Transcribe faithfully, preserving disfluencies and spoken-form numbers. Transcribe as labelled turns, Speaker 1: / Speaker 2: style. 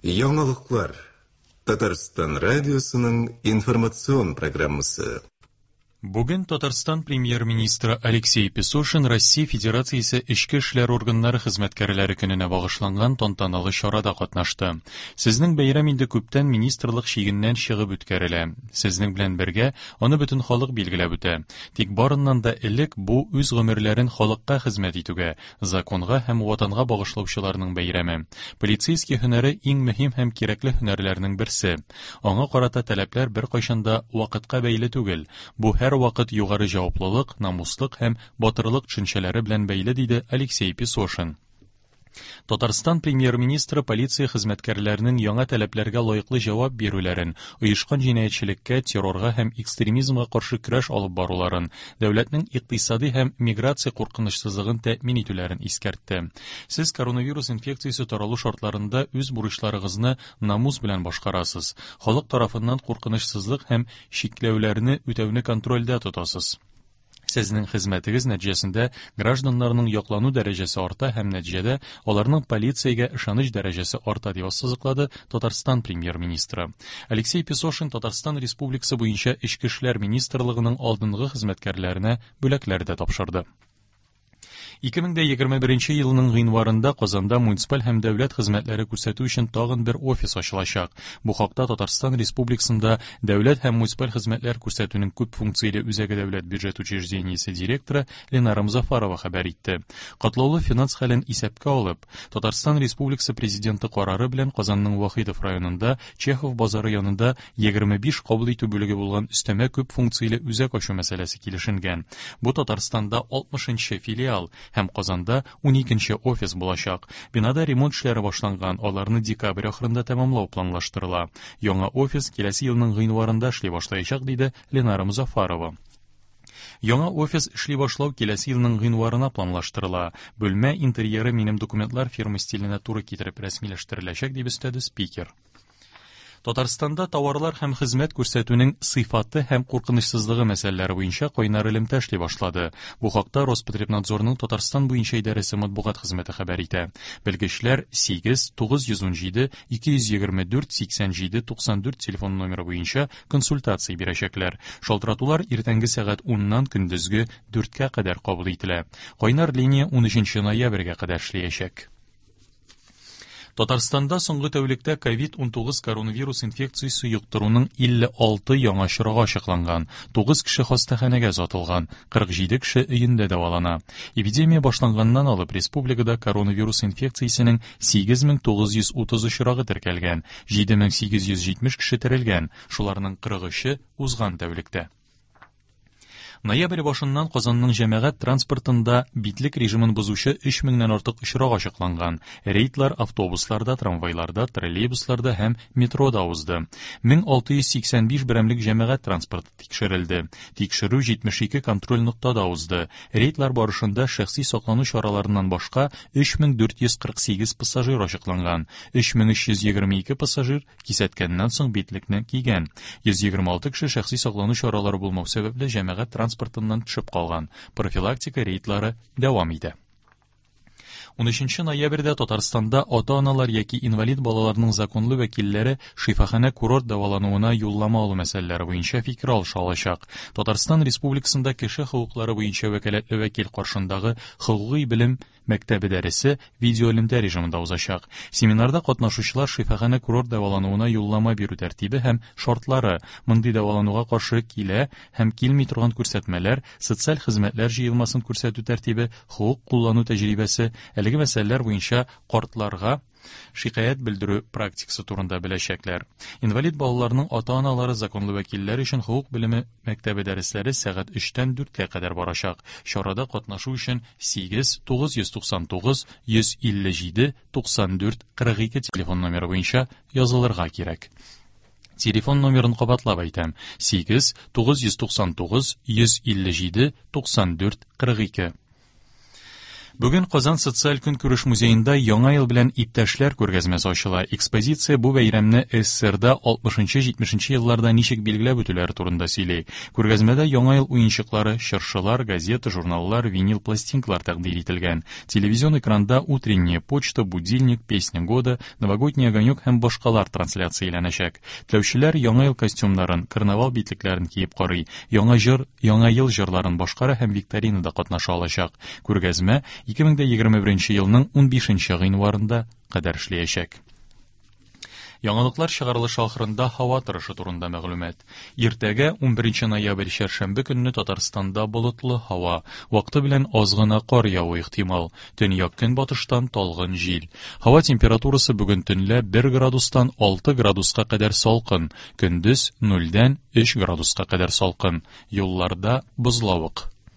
Speaker 1: Яңалыклар. Татарстан радиосының информацион программасы.
Speaker 2: Бүген Татарстан премьер-министры Алексей Песошин Россия Федерациясе Эчке эшләр органнары хезмәткәрләре көненә багышланган тантаналы чарада катнашты. Сезнең бәйрәм инде күптән министрлык чигеннән чыгып үткәрелә. Сезнең белән бергә аны бөтен халык билгеләп үтә. Тик барыннан да элек бу үз гомерләрен халыкка хезмәт итүгә, законга һәм ватанга багышлаучыларның бәйрәме. Полицейский һөнәре иң мөһим һәм кирәкле һөнәрләрнең берсе. Аңа карата таләпләр беркайчан да вакытка бәйле түгел. Бу һәр вакыт югары җаваплылык, намуслык һәм батырлык төшенчәләре белән бәйле, диде Алексей Песошин. Татарстан премьер-министры полиция хезмәткәрләренең яңа таләпләргә лаеклы җавап бирүләрен, оешкан җинаятьчелеккә, террорга һәм экстремизмга каршы көрәш алып баруларын, дәүләтнең икътисади һәм миграция куркынычсызлыгын тәэмин итүләрен искәртте. Сез коронавирус инфекциясе таралу шартларында үз бурычларыгызны намус белән башкарасыз. Халык тарафыннан куркынычсызлык һәм чикләүләрне үтәүне контрольдә тотасыз. Сезнең хезмәтегез нәтиҗәсендә гражданнарның яклану дәрәҗәсе арта һәм нәтиҗәдә аларның полициягә ышаныч дәрәҗәсе арта, дип ассызыклады Татарстан премьер-министры. Алексей Песошин Татарстан Республикасы буенча Эчке эшләр министрлыгының алдынгы хезмәткәрләренә бүләкләр дә тапшырды. ике мең егерме беренче елның гыйнварында Казанда муниципаль һәм дәүләт хезмәтләре күрсәтү өчен тагын бер офис ачылачак. Бу хакта Татарстан Республикасында дәүләт һәм муниципаль хезмәтләр күрсәтүнең күп функцияле үзәге дәүләт бюджет учреждениесе директоры Ленара Музафарова хәбәр итте. Катлаулы финанс хәлен исәпкә алып, Татарстан Республикасы президенты карары белән Казанның Вахитов районында Чехов базары янында егерме биш кабул итү бүлеге булган өстәмә күп функцияле үзәк ачу мәсьәләсе килешенгән. Бу Татарстанда алтмышынчы филиал һәм Казанда ун икенче офис булачак. Бинада ремонт эшләре башланган, аларны декабрь ахырында тәмамлау планлаштырыла. Яңа офис киләсе елның гыйнварында эшли башлаячак, диде Ленара Музафарова. Яңа офис эшли башлау киләсе елның гыйнварына планлаштырыла. Бүлмә интерьеры минем документлар фирма стиленә туры китереп рәсмиләштереләчәк, дип өстәде спикер. Татарстанда товарлар һәм хезмәт күрсәтүнең сыйфаты һәм куркынычсызлыгы мәсьәләләре буенча кайнар элемтә эшли башлады. Бу хакта Роспотребнадзорның Татарстан буенча идарәсе матбугат хезмәте хәбәр итә. Белгечләр сигез, тугыз йөз ун җиде, ике йөз егерме дүрт, сиксән җиде, туксан дүрт телефон номеры буенча консультация бирәчәкләр. Шалтыратулар иртәнге сәгать уннан көндезге дүрткә кадәр кабул ителә. Кайнар линия ун өченче ноябрьгә кадәр эшләячәк. Татарстанда соңгы тәүлектә ковид унтугыз коронавирус инфекциясе йоктыруның илле алты яңа очрагы ачыкланган, тугыз кеше хастаханәгә озатылган, кырык җиде кеше өендә дәвалана. Эпидемия башланганнан алып республикада коронавирус инфекциясенең сигез мең тугыз йөз утыз очрагы теркәлгән, җиде мең сигез йөз җитмеш кеше терелгән, шуларның кырык өче узган тәүлектә. Ноябрь башыннан Казанның җәмәгать транспортында битлек режимын бозучы өч меңнән артык очрак ачыкланган. Рейдлар автобусларда, трамвайларда, троллейбусларда һәм метрода узды. Мең алты йөз сиксән биш берәмлек җәмәгать транспорты тикшерелде. Тикшерү җитмеш ике контроль ноктада узды. Рейдлар барышында шәхси саклану чараларыннан башка өч мең дүрт йөз кырык сигез пассажир ачыкланган. Өч мең өч йөз егерме ике пассажир кисәткәннән соң битлекне кигән. Йөз егерме алты кеше шәхси саклану чаралары булмау сәбәпле җәмәгать транспортыннан төшеп калган. Профилактика рейдлары дәвам итә. Ун өченче ноябрьдә Татарстанда ата-аналар яки инвалид балаларның законлы вәкилләре шифаханә курорт дәвалануына юллама алу мәсьәләләре буенча фикер алыша алачак. Татарстан Республикасында кеше хокуклары буенча вәкаләтле вәкил каршындагы хокукый белем мәктәбе дәресе видеоэлемтә режимында узачак. Семинарда катнашучылар шифаханә курорт дәвалануына юллама бирү тәртибе һәм шартлары, мондый дәвалануга каршы килә һәм килми торган күрсәтмәләр, социаль хезмәтләр җыелмасын күрсәтү тәртибе, хокук куллану тәҗрибәсе, әлеге мәсьәләләр буенча картларга шикаять белдерү практикасы турында беләчәкләр. Инвалид балаларның ата-аналары законлы вәкилләр өчен хокук белеме мәктәбе дәресләре сәгать өчтән дүрткә кадәр барачак. Чарада катнашу өчен сигез, тугыз йөз туксан тугыз, йөз илле җиде, туксан дүрт, кырык ике телефон номеры буенча язылырга кирәк. Телефон номерын кабатлап әйтәм: сигез, тугыз йөз туксан тугыз, йөз илле җиде, туксан дүрт, кырык ике. Бүген Казан социаль көнкүреш музеенда Яңа ел белән иптәшләр күргәзмәсе ачыла. Экспозиция бу бәйрәмне СССРда алтмышынчы-җитмешенче елларда ничек билгеләп үтүләре турында сөйли. Күргәзмәдә Яңа ел уенчыклары, чыршылар, газета, журналлар, винил пластинкалар тәкъдир ителгән. Телевизион экранда «Утренняя почта», «Будильник», «Песня года», «Новогодний огонек» һәм башкалар трансляцияләнәчәк. Теләүчеләр Яңа ел костюмнарын, карнавал битлекләрен киеп карый, яңа җыр, Яңа ел җырларын башкара һәм викторинада катнаша алачак. Күргәзмә ике мең егерме беренче елның унбишенче гыйнварында кадәр эшләячәк. Яңалыклар чыгарылышы ахырында һава торышы турында мәгълүмат. Иртәгә унберенче ноябрь чәршәмбе көнне Татарстанда болытлы һава, вакыты белән аз гына кар явуы ихтимал. Төньяк көнбатыштан талгын җил. Һава температурасы бүген төнлә бер градустан алты градуска кадәр салкын, көндез нульдән өч градуска кадәр салкын. Юлларда бозлавык.